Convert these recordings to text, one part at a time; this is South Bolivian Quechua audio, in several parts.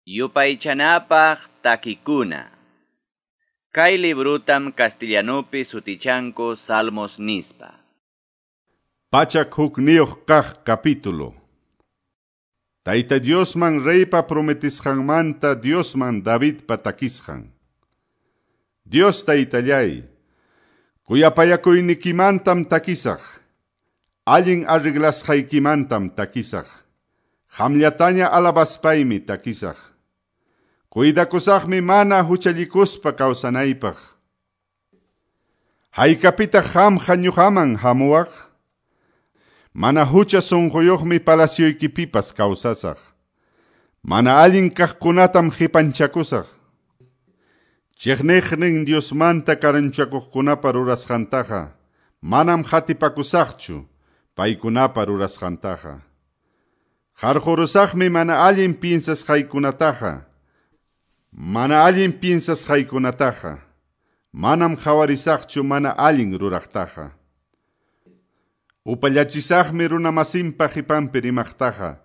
Yupaychanapaq takikuna. Kay librutam castellanupi sutichanku Salmos nispa. 101 kaq capítulo. Tayta Diosman reypa prometisqanmanta Diosman Davidpa takisqan. Dios taytallay, kuyapayakuynikimantam takisaq, allin arreglasqaykimantam takisaq, qamllataña alabaspaymi takisaq. Cuidakusaqmi mana huchallikuspa kawsanaypaq. Haykapitaq qamqa ñuqaman hamuwaq? Mana hucha sunquyuqmi palacioykipipas kawsasaq. Mana allin kaqkunatam qipanchakusaq. Chiqniqnin Diosmanta karunchakuqkunapa rurasqantaqa manam qatipakusaqchu paykunapa rurasqantaqa. Qarqurusaqmi mana allin piensasqaykunataqa. Mana allin piensasqaykunataqa. Manam qhawarisaqchu mana allin ruraqtaqa. Upallachisaqmi runamasinpa qipanpi rimaqtaqa.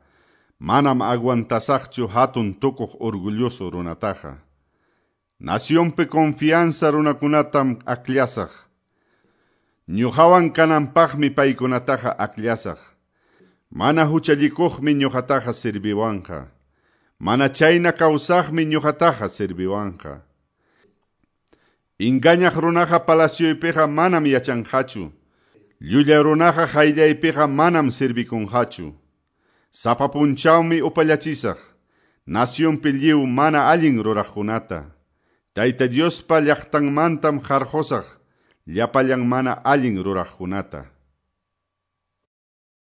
Manam aguantasaqchu hatun tukuq orgulloso runataqa. Nacionpi confianza runakunatam akllasaq. Ñuqawan kananpaqmi paykunataqa akllasaq. Mana huchallikuqmi ñuqataqa sirviwanqa. Mana chayna kawsaqmi ñuqataqa sirviwanqa. Engañaq runaqa palacioypiqa manam yachanqachu. Llulla runaqa qayllaypiqa manam sirvikunqachu. Sapa punchawmi upallachisaq. Nacionpi lliw mana allin ruraqkunata. Tayta Diospa llaqtanmantam qarqusaq llapallan mana allin ruraqkunata.